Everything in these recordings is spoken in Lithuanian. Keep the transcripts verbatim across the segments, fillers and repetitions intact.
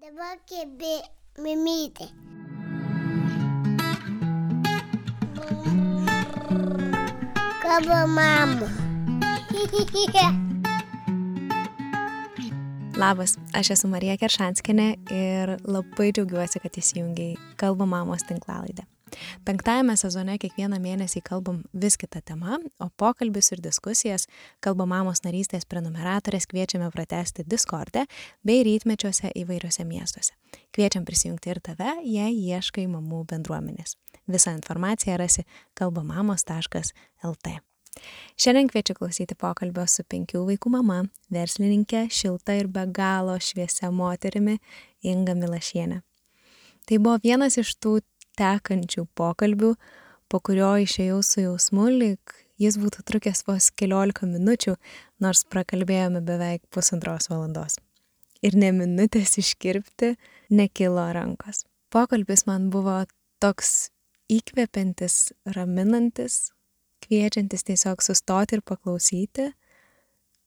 Dabar kebė mimytė. Kalba mama. Labas, aš esu Marija Keršanskienė ir labai džiaugiuosi, kad įsijungiai Kalba mamos tinklalaidę. Penktajame sezone kiekvieną mėnesį kalbam vis kitą temą, o pokalbis ir diskusijas Kalba mamos narystės prenumeratorės kviečiame pratęsti Discorde bei rytmečiuose įvairiuose miestuose. Kviečiam prisijungti ir tave, jei ieškai mamų bendruomenės. Visą informaciją rasi kalbamamos taškas lt. Šiandien kviečiu klausyti pokalbio su penkių vaikų mama, verslininkė, šilta ir be galo šviesia moterimi Inga Milašienė. Tai buvo vienas iš tų tekančių pokalbių, po kurio išėjau su jausmu, lyg jis būtų trukęs vos keliolika minučių, nors prakalbėjome beveik pusantros valandos. Ir ne minutės iškirpti nekilo rankos. Pokalbis man buvo toks įkvepiantis, raminantis, kviečiantis tiesiog sustoti ir paklausyti,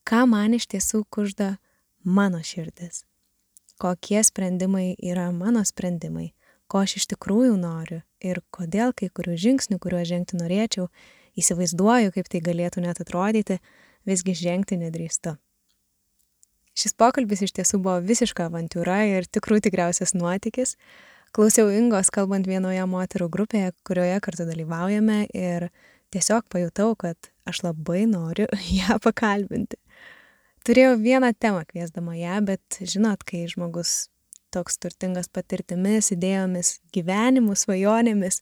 ką man iš tiesų kužda mano širdis, kokie sprendimai yra mano sprendimai, ko aš iš tikrųjų noriu ir kodėl kai kurių žingsnių, kuriuos žengti norėčiau, įsivaizduoju, kaip tai galėtų net atrodyti, visgi žengti nedrįstu. Šis pokalbis iš tiesų buvo visiška avantiūra ir tikrų tikriausias nuotykis. Klausiau Ingos kalbant vienoje moterų grupėje, kurioje kartu dalyvaujame ir tiesiog pajutau, kad aš labai noriu ją pakalbinti. Turėjau vieną temą kviesdama ją, bet žinot, kai žmogus toks turtingas patirtimis, idėjomis, gyvenimu, svajonėmis,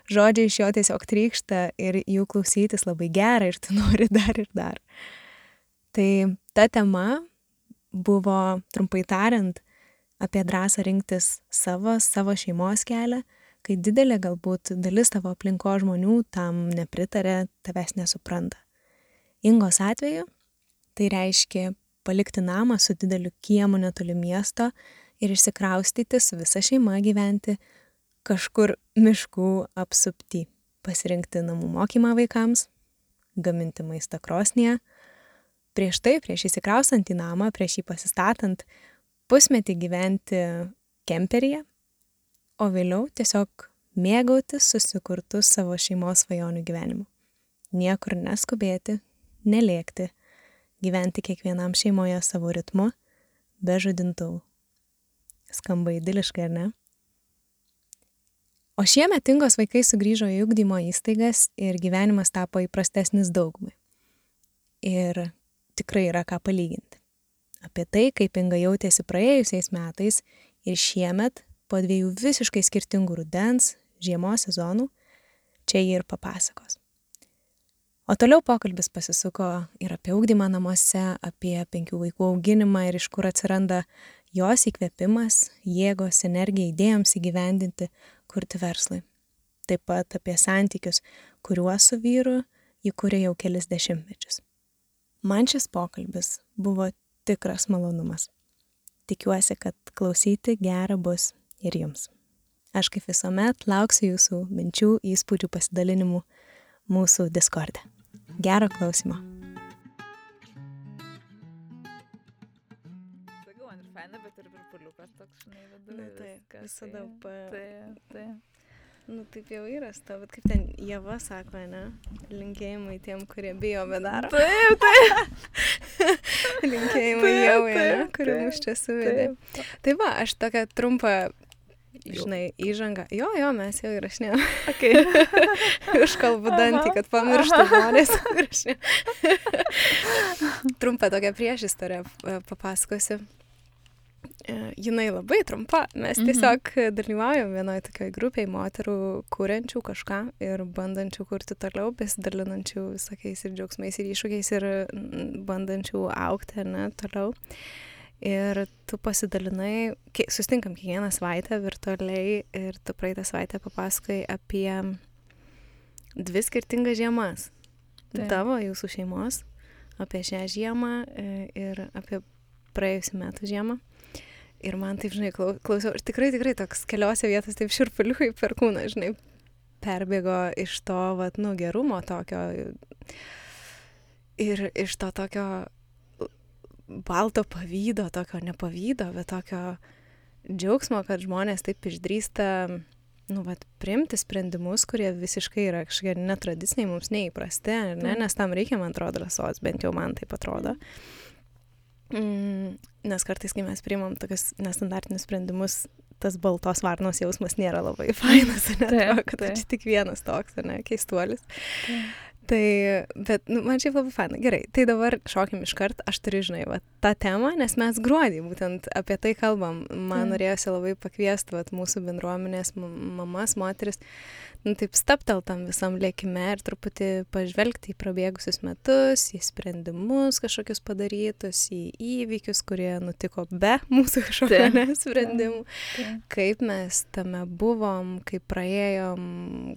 žodžiai iš jo tiesiog trykšta ir jų klausytis labai gera ir tu nori dar ir dar. Tai ta tema buvo, trumpai tariant, apie drąsą rinktis savo, savo šeimos kelią, kai didelė galbūt dalis tavo aplinko žmonių tam nepritarė, tavęs nesupranta. Ingos atveju tai reiškia palikti namą su dideliu kiemu netoli miesto ir išsikraustyti su visa šeima gyventi kažkur miškų apsupty, pasirinkti namų mokymą vaikams, gaminti maistą krosnyje. Prieš tai, prieš įsikraustant į namą, prieš jį pasistatant, pusmetį gyventi kemperyje, o vėliau tiesiog mėgautis susikurtų savo šeimos svajonių gyvenimu. Niekur neskubėti, nelėkti, gyventi kiekvienam šeimoje savo ritmu, be žadintuvų. Skamba idiliškai, ar ne? O šiemet Ingos vaikai sugrįžo į ugdymo įstaigas ir gyvenimas tapo įprastesnis daugumai. Ir tikrai yra ką palyginti. Apie tai, kaip Inga jautėsi praėjusiais metais ir šiemet, po dviejų visiškai skirtingų rudens, žiemos sezonų, čia jie ir papasakos. O toliau pokalbis pasisuko ir apie ugdymą namuose, apie penkių vaikų auginimą ir iš kur atsiranda jos įkvėpimas, jėgos, energija idėjoms įgyvendinti, kurti verslui. Taip pat apie santykius, kuriuos su vyru ji kuria jau kelis dešimtmečius. Man šis pokalbis buvo tikras malonumas. Tikiuosi, kad klausyti gera bus ir jums. Aš kaip visuomet lauksiu jūsų minčių, įspūdžių, pasidalinimų mūsų Discorde. Gero klausimo. Sakiau, man ir faina, bet ir virpuliukas toks, žinai, vedu. Na taip, visada pa... Taip, taip. Nu taip jau yra, bet kaip ten Ieva sako, ne? Linkėjimai tiem, kurie bijo, bet daro. Taip, taip. Linkėjimai Ievai, ne? Kuri mus čia suvedė. Tai va, aš tokią trumpą, žinai, įžangą. Jo, jo, mes jau įrašinėjom. Okay. Užkalbu dantį, kad pamirštų žmonės. Trumpą tokią priešistorę papasakosiu. Jinai labai trumpa. Mes tiesiog dalyvaujam vienoje tokioje grupėje moterų kuriančių kažką ir bandančių kurti toliau, besidalinančių visokiais ir džiaugsmais ir iššūkiais ir bandančių augti, ne, toliau. Ir tu pasidalinai, susitinkam kiekvieną savaitę virtualiai ir tu praeitą savaitę papasakai apie dvi skirtingas žiemas. Taip. Tavo, jūsų šeimos, apie šią žiemą ir apie praėjusių metų žiemą. Ir man taip, žinai, klausiau, ir tikrai, tikrai toks keliose vietos taip šiurpuliukai per kūną, žinai, perbėgo iš to, vat, nu, gerumo tokio ir iš to tokio balto pavydo, tokio nepavydo, bet tokio džiaugsmo, kad žmonės taip išdrįsta, nu, vat, priimti sprendimus, kurie visiškai yra kažkokie netradiciniai, mums neįprasti, ne? Nes tam reikia, man atrodo, drąsos, bent jau man taip atrodo. Mm, nes kartais, kai mes priimam tokius nestandartinius sprendimus, tas baltos varnos jausmas nėra labai fainas, ne? Taip, kad aš tik vienas toks, ne? Keistuolis. Taip. Tai, bet, nu, man šiaip labai faina. Gerai, tai dabar šokim iškart, aš turiu, žinai, va, tą temą, nes mes gruodį būtent apie tai kalbam. Man mm. norėjosi labai pakviesti, va, mūsų bendruomenės mamas, moteris, nu, taip staptel tam visam lėkime ir truputį pažvelgti į prabėgusius metus, į sprendimus kažkokius padarytus, į įvykius, kurie nutiko be mūsų kažkokio sprendimų. Taip. Kaip mes tame buvom, kaip praėjom,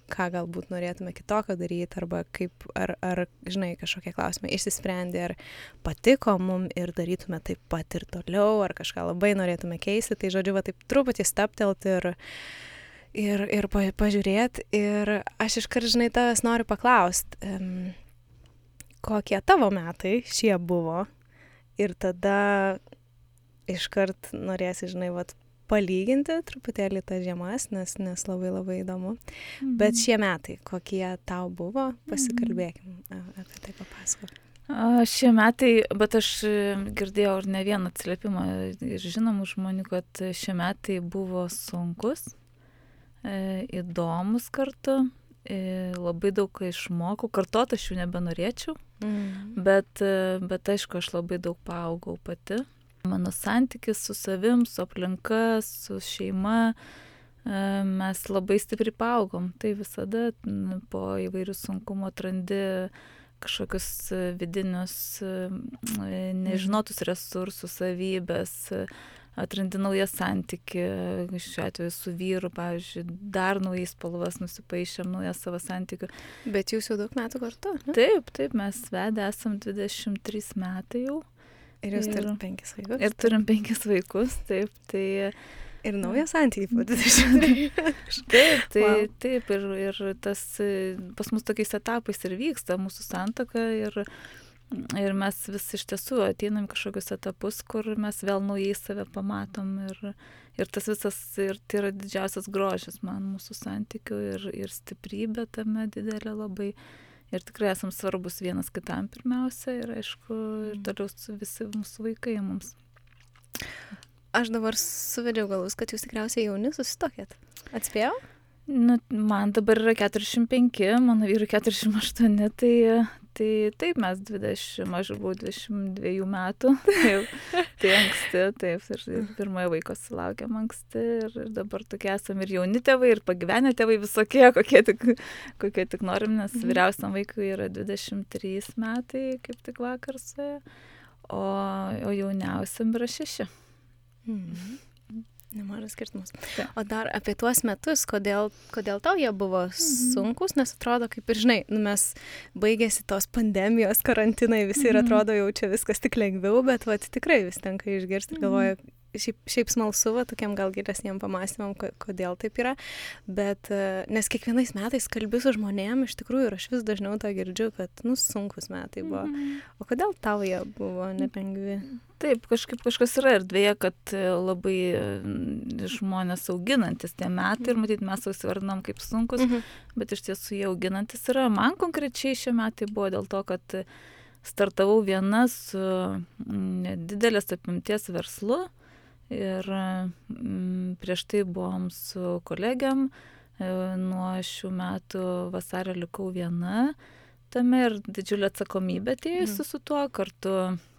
ką galbūt norėtume kitokio daryti, arba kaip Ar, ar, žinai, kažkokie klausimai išsisprendė, ar patiko mum ir darytume taip pat ir toliau, ar kažką labai norėtume keisti. Tai, žodžiu, va, taip truputį staptelt ir, ir, ir pažiūrėti. Ir aš iškart, žinai, tavęs noriu paklausti, um, kokie tavo metai šie buvo. Ir tada iškart norėsi, žinai, va, palyginti truputėlį tas žiemas, nes, nes labai labai įdomu. Mm-hmm. Bet šie metai, kokie tau buvo, pasikalbėkim mm-hmm. apie tai papasakok. A, šie metai, bet aš girdėjau ir ne vieną atsiliepimą ir žinomų žmonių, kad šie metai buvo sunkus, e, įdomus kartu, e, labai daug išmokau, kartot aš jų nebenorėčiau, mm-hmm. bet, bet aišku, aš labai daug paaugau pati. Mano santykis su savim, su aplinka, su šeima, mes labai stipriai paaugom. Tai visada po įvairių sunkumų atrandi kažkokius vidinius nežinotus resursus, savybės, atrandi naują santykį, šiuo atveju su vyru, pavyzdžiui, dar naujais spalvas nusipaišėm, naują savo santykių. Bet jūs jau daug metų kartu, ne? Taip, taip, mes vedę esam dvidešimt trys metai jau. Ir jūs turim penkis vaikus. Ir turim penkis vaikus, taip, tai... Ir naują santykį po dvidešimt trys. Taip, tai wow. taip, ir, ir tas pas mus tokiais etapais ir vyksta mūsų santuoka ir, ir mes vis iš tiesų ateinam kažkokius etapus, kur mes vėl naujai save pamatom ir, ir tas visas, ir tai yra didžiausias grožis man mūsų santykių ir, ir stiprybė tame didelė labai. Ir tikrai esam svarbus vienas kitam pirmiausia ir aišku, ir toliau visi mūsų vaikai mums. Aš dabar suvedžiau galus, kad jūs tikriausiai jauni susitokėt. Atspėjau? Nu, man dabar yra keturiasdešimt penki, mano vyrui keturiasdešimt aštuoni, tai, tai taip mes dvidešimt, aš buvau dvidešimt dviejų metų, taip, tai anksti, taip, ir pirmojo vaiko sulaukėm anksti ir, ir dabar tokie esame ir jauni tėvai, ir pagyvenę tėvai visokie, kokie tik, kokie tik norim, nes mhm. vyriausiam vaikui yra dvidešimt trys metai, kaip tik vakar suėjo, o, o jauniausiam yra šeši. Mhm. Nemažas skirtumas. O dar apie tuos metus, kodėl, kodėl tau jie buvo sunkus, nes atrodo, kaip ir žinai, nu mes baigėsi tos pandemijos, karantinai, visi ir atrodo jau čia viskas tik lengviau, bet vat, tikrai vis tenka išgirsti ir galvoju, šiaip, šiaip smalsu, va, tokiam gal gilesniem pamąstymam, kodėl taip yra, bet nes kiekvienais metais kalbi su žmonėm, iš tikrųjų, ir aš vis dažniau tą girdžiu, kad, nu, sunkus metai buvo. O kodėl tau jie buvo nelengvi? Taip, kažkaip kažkas yra erdvėje, kad labai žmonės auginantis tie metai ir matyt mes įsivardinam kaip sunkus, mhm. bet iš tiesų jie auginantis yra. Man konkrečiai šie metai buvo dėl to, kad startavau viena su didelės apimties verslu ir prieš tai buvom su kolegiam, nuo šių metų vasario likau viena tame ir didžiulė atsakomybė atėjusi mhm. su tuo, kartu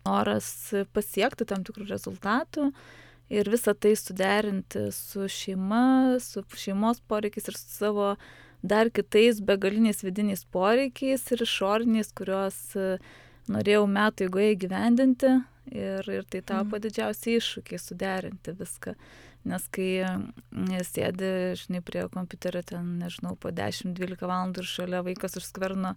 noras pasiekti tam tikrų rezultatų ir visą tai suderinti su šeima, su šeimos poreikiais ir su savo dar kitais begaliniais vidiniais poreikiais ir išoriniais, kuriuos norėjau metų eigoje įgyvendinti ir, ir tai tapo mm. didžiausiai iššūkiai suderinti viską. Nes kai sėdi, žinai, prie kompiuterio ten, nežinau, po dešimt dvylika valandų ir šalia vaikas už skverno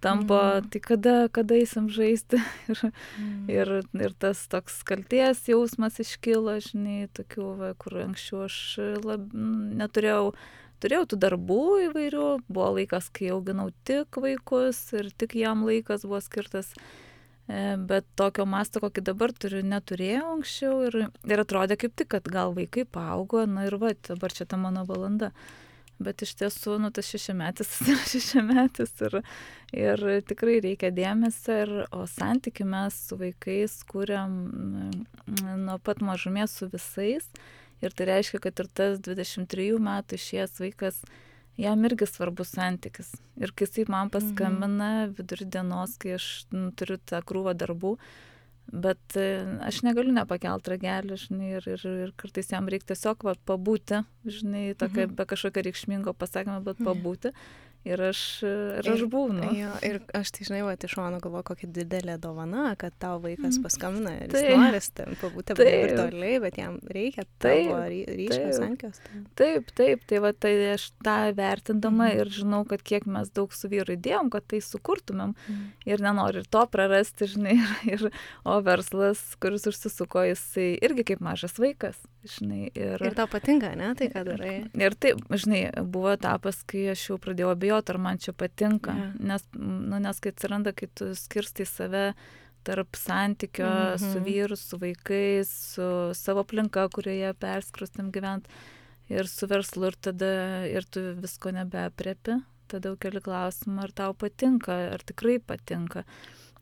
tampo, mm. tai kada, kada eisim žaisti. ir, mm. ir, ir tas toks kaltės jausmas iškilo, žinai, tokių, va, kur anksčiau aš lab, neturėjau, turėjau tų darbų įvairių, buvo laikas, kai auginau tik vaikus ir tik jam laikas buvo skirtas. bet tokio masto, kokį dabar turiu, neturėjau anksčiau ir, ir atrodė kaip tik, kad gal vaikai paaugo, na ir va, dabar čia ta mano valanda. Bet iš tiesų, nu, tas šešiametis yra šešiametis ir, ir tikrai reikia dėmesio, ir, o santykių mes su vaikais kūrėm nuo pat mažumės su visais. Ir tai reiškia, kad ir tas dvidešimt trejų metų išėjęs vaikas, jam irgi svarbus santykis. Ir kai jisai man paskambina vidurį dienos, kai aš nu, turiu tą krūvą darbų, bet aš negaliu nepakelt ragelį, žinai, ir, ir, ir kartais jam reikia tiesiog va, pabūti, žinai, tokia, be kažkokio reikšmingo pasakymą, bet pabūti. Ir aš, ir aš būnu. Jo, ir aš tai, žinai, va, iš šono galvoju, kokia didelė dovana, kad tau vaikas paskambina ir jis nori ten pabūti virtualiai, bet jam reikia tavo ryšio santykios. Taip, taip, tai va, tai aš tą vertindama ir žinau, kad kiek mes daug su vyru įdėjom, kad tai sukurtumėm ir nenoriu ir to prarasti, žinai, ir, o verslas, kuris užsisuko, jisai irgi kaip mažas vaikas, žinai. Ir, ir tau patinka, ne, tai ką darai? Ir taip, žinai, buvo etapas, kai aš jau pradėjau abejoti, ar man čia patinka, yeah. nes, nu, nes kai atsiranda, kai tu skirstai save tarp santykio mm-hmm. su vyru, su vaikais, su savo aplinka, kurioje perskrustam gyvent, ir su verslu, ir tada ir tu visko nebeaprėpi, tada jau keli klausimą, ar tau patinka, ar tikrai patinka.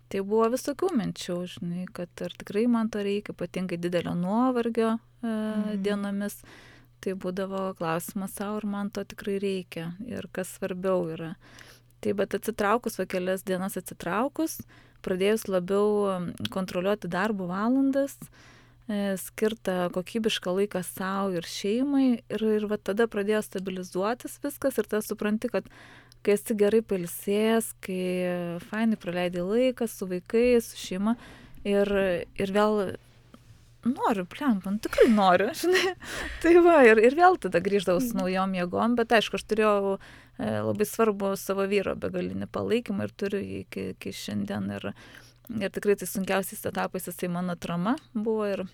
Tai buvo visokių minčių, žinai, kad ar tikrai man to reikia, ypatingai didelio nuovargio e, mm-hmm. dienomis. Tai būdavo klausimas savo, ar man to tikrai reikia ir kas svarbiau yra. Tai bet atsitraukus, va kelias dienas atsitraukus, pradėjus labiau kontroliuoti darbo valandas, e, skirtą kokybišką laiką savo ir šeimai ir, ir va tada pradėjo stabilizuotis viskas ir tada supranti, kad kai esi gerai pailsėjęs, kai fainai praleidai laiką su vaikais, su šeima ir, ir vėl noriu, plempa, nu, tikrai noriu, žinai. Tai va, ir, ir vėl tada grįždavau su naujom jėgom, bet aišku, aš turėjau e, labai svarbu savo vyro begalinį palaikymą ir turiu iki, iki šiandien. Ir, ir tikrai tai sunkiausiais etapais jisai mano atrama buvo ir,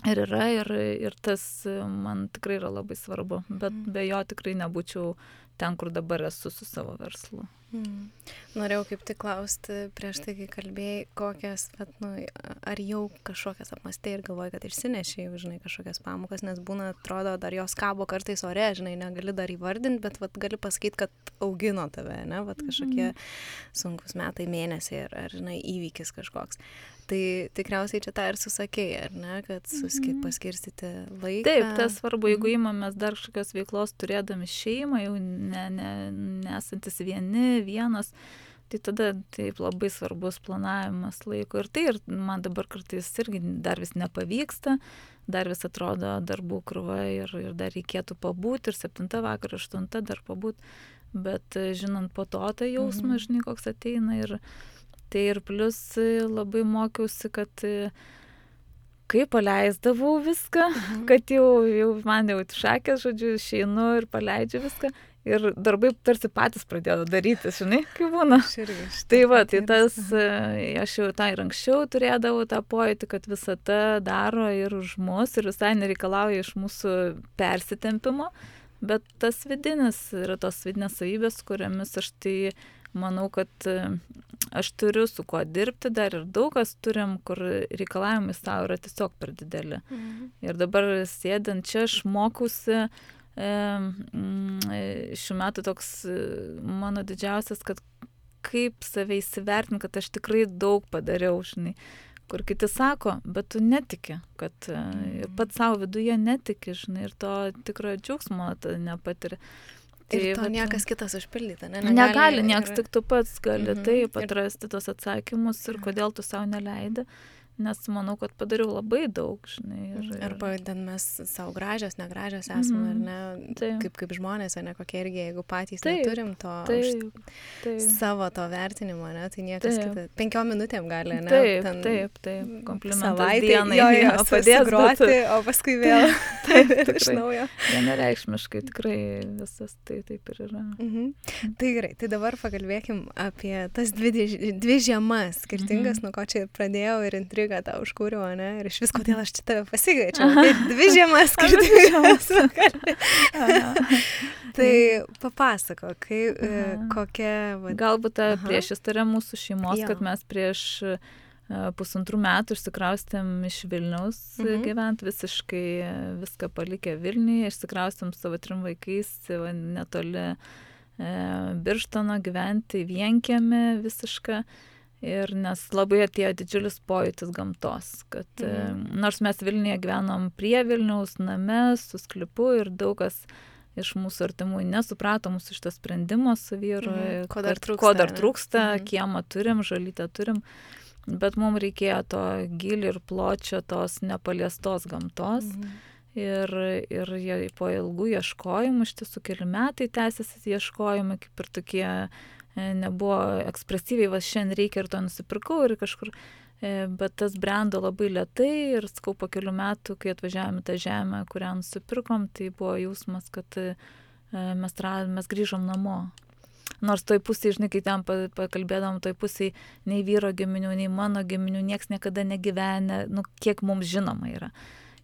ir yra, ir, ir tas man tikrai yra labai svarbu. Bet be jo tikrai nebūčiau ten, kur dabar esu su savo verslu. Mm. Norėjau kaip tik klausti prieš tai, kai kalbėjai, kokias, bet, nu, ar jau kažkokias apmastė ir galvoji, kad išsinešiai, žinai, kažkokias pamokas, nes būna, atrodo, dar jos kabo kartais ore, žinai, negali dar įvardinti, bet vat, gali pasakyti, kad augino tave, ne, vat, kažkokie sunkus metai, mėnesiai ar, ar, žinai, įvykis kažkoks. Tai tikriausiai čia tą ir susakėjai, ar ne, kad suski, paskirstyti laiką. Taip, tas svarbu, jeigu įmamės dar kažkokios veiklos turėdami šeimą, jau ne, ne, nesantis vieni, vienas, tai tada taip labai svarbus planavimas laiko. Ir tai ir man dabar kartais irgi dar vis nepavyksta, dar vis atrodo darbų krūva ir, ir dar reikėtų pabūti, ir septinta vakar, aštunta dar pabūti, bet žinant po to tą jausmą, mhm. žinai, koks ateina ir tai ir plus labai mokiausi, kad kai paleisdavau viską, mhm. kad jau, jau man jau šakės, žodžiu, išeinu ir paleidžiu viską. Ir darbai tarsi patys pradėjo daryti, žinai, kaip būna. Tai va, tai tas, aš jau tą ir anksčiau turėdavau tą pojūtį, kad visata daro ir už mus, ir visai nereikalauja iš mūsų persitempimo, bet tas vidinis yra tos vidinės savybės, kuriamis aš tai manau, kad aš turiu su kuo dirbti, dar ir daug kas turim, kur reikalavimai savo yra tiesiog per dideli. Mhm. Ir dabar sėdint čia aš mokausi, šiuo metu toks mano didžiausias, kad kaip save įsivertinti, kad aš tikrai daug padariau, žinai, kur kiti sako, bet tu netiki, kad ir pats savo viduje netiki, žinai, ir to tikrojo džiaugsmo nepatiri. Tai, ir to vat, niekas kitas užpildyti, ne? Negali, negali niekas, ir... tik tu pats gali mhm. taip atrasti ir... tos atsakymus ir kodėl tu savo neleidi. Nes manau, kad padariau labai daug, žinai. Ir, ir... Arba ten mes savo gražios, negražios esame, mm-hmm. ar ne, taip. Kaip, kaip žmonės, ar ne, kokie irgi, jeigu patys taip, neturim to taip, taip. savo to vertinimo, ne, tai niekas kitas. Penkiom minutėm gali, ne? Taip, ten, taip, taip, komplimentas savaitė, dienai. Jo, jo, padės groti, bet... o paskui vėl taip, iš naujo. Vienareikšmiškai, tikrai visas tai taip ir yra. Mhm. Tai gerai, tai dabar pakalbėkim apie tas dvi, dvi žiemas skirtingas, mhm. nuo ko čia pradėjau ir intrigą tą užkūriau, ne? Ir iš vis, kodėl aš čia tave pasigaičiau. Tai dvi žiemas skirtingas. Tai papasako, kai, kokia... Va... Galbūt ta priešistorė mūsų šeimos, jo. Kad mes prieš pusantrų metų išsikraustėm iš Vilniaus mhm. gyvent, visiškai viską palikę Vilniuje, išsikraustėm savo trim vaikais netoli e, Birštono gyventi vienkiemį visišką. Ir nes labai atėjo didžiulis pojūtis gamtos, kad mhm. nors mes Vilniuje gyvenom prie Vilniaus name su sklypu ir daug kas iš mūsų artimųjų nesuprato mūsų šito sprendimo su vyru, mhm. ko dar trūksta, ko dar trūksta mhm. kiemą turim, žalytę turim, bet mums reikėjo to gilio ir pločio tos nepaliestos gamtos. Mhm. Ir, ir jie po ilgų ieškojimų, iš tiesų keli metai tęsiasi ieškojimai, kaip ir tokie nebuvo ekspresyviai, va šiandien reikia ir to nusipirkau ir kažkur, bet tas brendo labai lėtai ir skau po kelių metų, kai atvažiavome tą žemę, kurią nusipirkom, tai buvo jausmas, kad mes, mes grįžom namo. Nors toj pusėje, žinai, kai ten pakalbėdavom, toj pusėje nei vyro giminių, nei mano giminių, nieks niekada negyvenė, nu, kiek mums žinoma yra.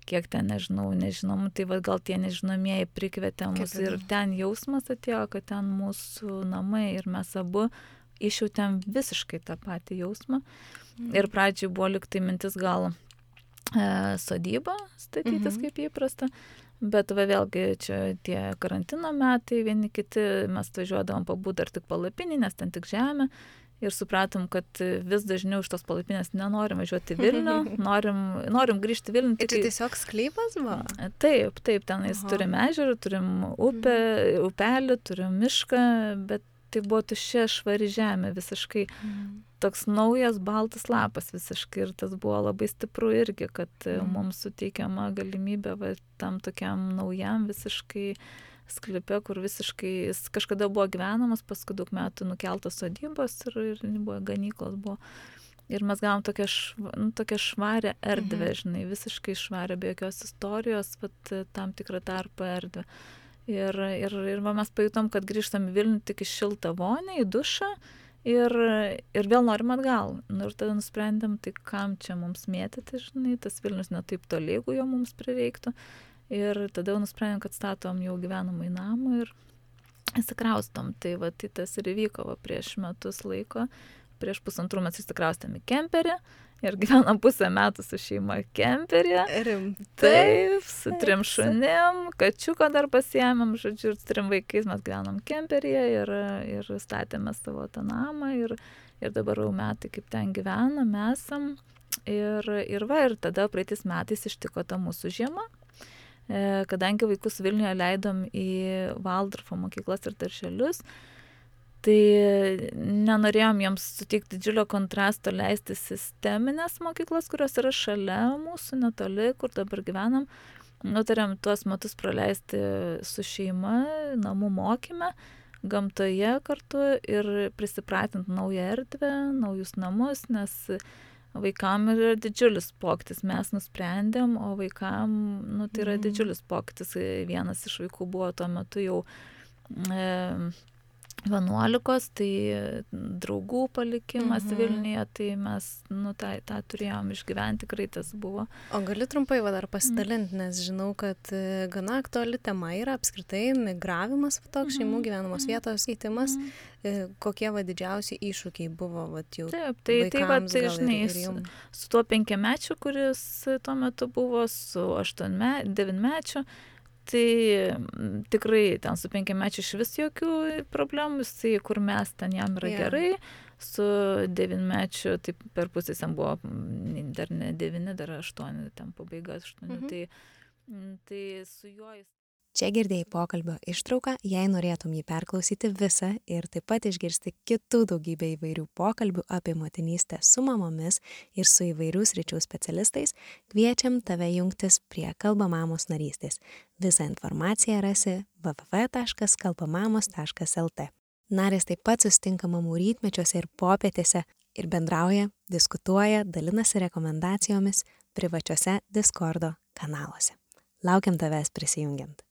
Kiek ten, nežinau, nežinom, tai va, gal tie nežinomieji prikvietė mus ir ten jausmas atėjo, kad ten mūsų namai ir mes abu išjautėm visiškai tą patį jausmą. Mm. Ir pradžiai buvo liktai mintis gal e, sodybą statytis mm-hmm. kaip įprasta, bet va vėlgi čia tie karantino metai, vieni kiti, mes važiuodavom pabūt dar tik palapinį, nes ten tik žemė. Ir supratom, kad vis dažniau iš tos palapinės nenorim važiuoti Vilnių, norim, norim grįžti Vilnių. Ir čia tiesiog sklypas buvo? Taip, taip, tenais Aha. turim ežerą, turim upę, upelį, turim mišką, bet tai buvo tuščia švari žemė visiškai. Mm. Toks naujas baltas lapas visiškai ir tas buvo labai stipru irgi, kad mm. mums suteikiama galimybė va, tam tokiam naujam visiškai sklype, kur visiškai jis kažkada buvo gyvenamas, paskui daug metų nukeltas sodybos ir, ir buvo ganyklos buvo. Ir mes gavom tokią, šva, nu, tokią švarę erdvę, mhm. žinai, visiškai švarę, be jokios istorijos, vat, tam tikrą tarpą erdvę. Ir, ir, ir va, mes pajutom, kad grįžtam į Vilnių tik į šiltą vonę, į dušą ir, ir vėl norim atgal. Nu, ir tada nusprendėm, tai kam čia mums mėtyti, žinai, tas Vilnius netaip toli, jeigu jo mums prireiktų. Ir tada jau nusprendėm, kad statom jau gyvenamą į namą ir įsikraustom. Tai va, tai tas ir įvyko va, prieš metus laiko. Prieš pusantrų mes įsikraustėm į kemperį ir gyvenam pusę metų su šeima kemperį. Rimtai? Taip, su trim šunim, kačiuką dar pasiėmėm, žodžiu, ir trim vaikais mes gyvenam kemperyje ir, ir statėme savo tą namą ir, ir dabar jau metai kaip ten gyvenam, esam. Ir, ir va, ir tada praeitais metais ištiko ta mūsų žiema. Kadangi vaikus Vilniuje leidom į Valdorfo mokyklas ir darželius, tai nenorėjom jiems suteikti didžiulio kontrasto leisti sisteminės mokyklas, kurios yra šalia mūsų, netoli, kur dabar gyvenam. Nutarėm tuos metus praleisti su šeima, namų mokyme, gamtoje kartu ir prisipratinti naują erdvę, naujus namus, nes vaikam yra didžiulis pokytis, mes nusprendėm, o vaikam, nu, tai yra didžiulis pokytis. Vienas iš vaikų buvo tuo metu jau e, vienuolikos, tai draugų palikimas mhm. Vilniuje, tai mes, nu, tą, tą turėjom išgyventi, tikrai tas buvo. O gali trumpai va dar pasidalinti, nes žinau, kad gana aktuali tema yra apskritai migravimas, toks šeimų gyvenamos vietos keitimas. Kokie va didžiausi iššūkiai buvo va jau Taip, tai, vaikams, tai va, tai, gal žinai, ir, ir su, jums? su tuo penkiamečiu, kuris tuo metu buvo, su aštuonme, devinmečiu, tai tikrai ten su penkiamečiu iš vis jokių problemų, tai kur mes ten jam yra yeah. gerai, su devinmečiu, tai per pusės jam buvo dar ne devyni, dar aštuoni, ten pabaiga aštuoni, mhm. tai, tai su juo jis. Čia girdėjai pokalbio ištrauką, jei norėtum jį perklausyti visą ir taip pat išgirsti kitų daugybę įvairių pokalbių apie motinystę su mamomis ir su įvairių sričių specialistais, kviečiam tave jungtis prie Kalba mamos narystės. Visą informaciją rasi w w w taškas kalbamamos taškas l t. Narės taip pat susitinka mamų rytmečiuose ir popietėse ir bendrauja, diskutuoja, dalinasi rekomendacijomis privačiuose Discordo kanaluose. Laukiam tavęs prisijungiant.